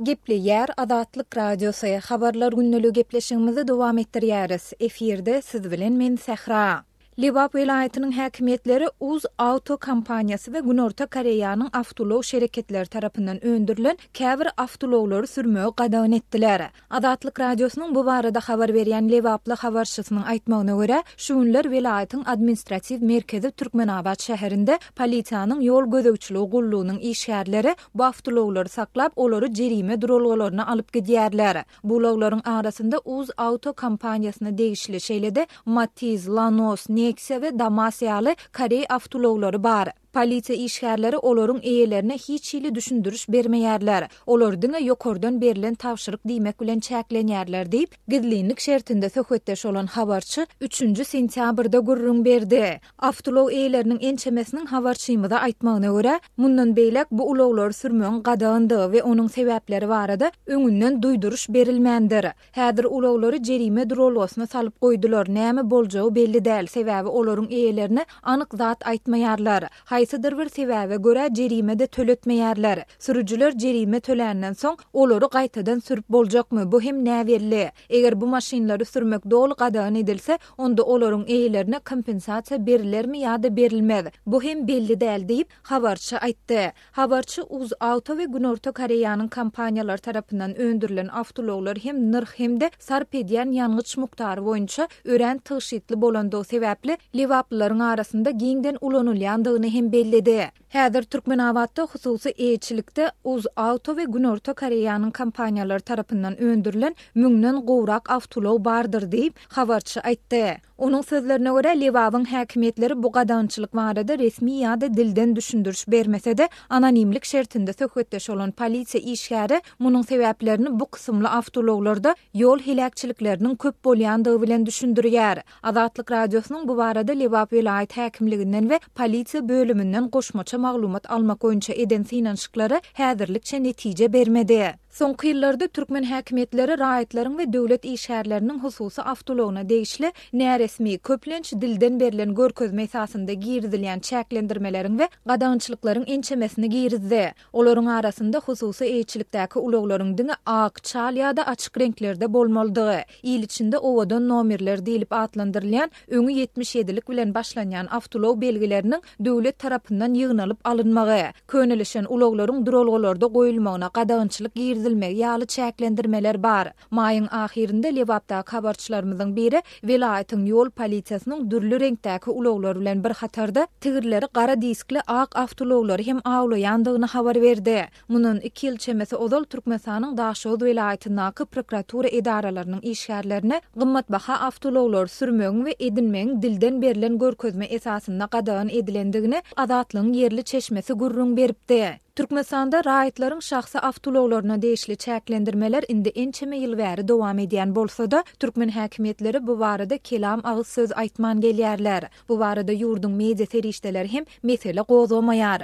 Gepleýär Azatlyk Radiosy, Habarlar gündeligi gepleşigimizi dowam etdirýäris. Efirde siz bilen men Sähra. Lebap welaýatynyň häkimiýetleri Uz Auto kompaniýasy we Günorta Koreýanyň awtoulag şereketleri tarapyndan öndürilen käbir awtoulaglary sürmegi gadagan etdiler. Azatlyk Radiosynyň bu barada habar berýän lebaply habarçysynyň aýtmagyna görä, şu günler welaýatyň administratiw merkezi Türkmenabat şäherinde polisiýanyň ýol gözegçiligi gullugynyň işgärleri bu awtoulaglary saklap, olary jerime duralgalaryna alyp gidýärler. Bu ulaglaryň arasynda Uz Auto kompaniýasyna degişli, şeýle-de Matiz, Lanos, Neksiýa we Damas ýaly koreý awtoulaglary bar. Polisiýa işgärleri olaryň eýelerine hiç hili düşündiriş bermeýärler. Olar diňe ýokardan berlen tabşyryk diýmek bilen çäklenýärler diýip, gizlinlik şertinde söhbetdeş bolan habarçy üçünji sentýabrda gürrüň berdi. Awtoulag eýeleriniň ençemesiniň habarçymyza aýtmagyna görä, mundan beýläk bu ulaglary sürmegiň gadagandygy we onuň sebäpleri barada öňünden duýduryş berilmändir. Häzir ulaglary jerime duralgasyna salyp goýdular, näme boljagy belli däl, sebäbi olaryň eýelerine anyk zat aýtmaýarlar. Haýsydyr bir sebäbe görä jerime-de töletmeýärler. Sürüjiler jerime töländen soň, olary gaýtadan sürüp boljakmy, bu hem näbelli. Eger bu maşynlary sürmek doly gadagan edilse, onda olaryň eýelerine kompensasiýa berilermi ýa-da berilmez, bu hem belli däl diýip, habarçy aýtdy. Habarçy UzAuto we Günorta Koreýanyň kompaniýalary tarapyndan öndürilen awtoulaglar hem nyrh hem-de sarp edýän ýangyç mukdary boýunça örän tygşytly bolandygy sebäpli lebaplylaryň arasynda giňden ulanylýandygyny hem belledi. Häzir Türkmenabatda hususy eýeçilikde UzAuto we Günorta Koreýanyň kompaniýalary tarapyndan öndürilen müňden gowrak awtoulag bardyr diýip, habarçy aýtdy. Onuň sözlerine görä, Lebabyň häkimiýetleri bu gadagançylyk barada resmi ýa-da dilden düşündiriş bermese-de, anonimlik şertinde söhbetdeş bolan polisiýa işgäri munuň sebäplerini bu kysymly awtoulaglarda ýol heläkçilikleriniň köp bolýandygy bilen düşündirýär. Azatlyk Radiosynyň bu barada Lebap welaýat häkimliginden we polisiýa bölüminden goşmaça maglumat almak boýunça eden synanyşyklary häzirlikçe netije bermedi. Soňky ýyllarda türkmen häkimiýetleri raýatlaryň we döwlet işgärleriniň hususy awtoulagyna degişli näresmi, köplenç dilden berlen görkezme esasynda girizilýän çäklendirmeleriň we gadagançylyklaryň ençemesini girizdi. Olaryň arasynda hususy eýeçilikdäki ulaglaryň diňe ak, çal ýa-da açyk reňklerde bolmalydygy, il içinde owadan nomerler diýlip atlandyrylýan öňi 77-lik bilen başlanýan awtoulag belgileriniň döwlet tarapyndan ýygnalyp alynmagy, könelişen ulaglaryň duralgalarda goýulmagyna gadagançylyk girizilmegi ýaly çäklendirmeler bar. Maýyň ahyrynda Lebapdaky habarçylarymyzyň biri welaýatyň ýol polisiýasynyň dürli reňkdäki ulaglar bilen bir hatarda tigirleri gara diskli ak awtoulaglary hem awlaýandygyny habar berdi. Mundan iki ýyl çemesi ozal Türkmenistanyň Daşoguz welaýatyndaky prokuratura edaralarynyň işgärlerine gymmatbaha awtoulaglary sürmegiň we edinmegiň dilden berlen görkezme esasynda gadagan edilendigini Azatlygyň ýerli çeşmesi gürrüň beripdi. Türkmenistanda raýatlaryň şahsy awtoulaglaryna degişli çäklendirmeler indi ençeme ýyl bäri dowam edýän bolsa-da, türkmen häkimiýetleri bu barada kelam agyz söz aýtman gelýärler. Bu barada ýurduň media serişdeleri hem mesele gozgamaýar.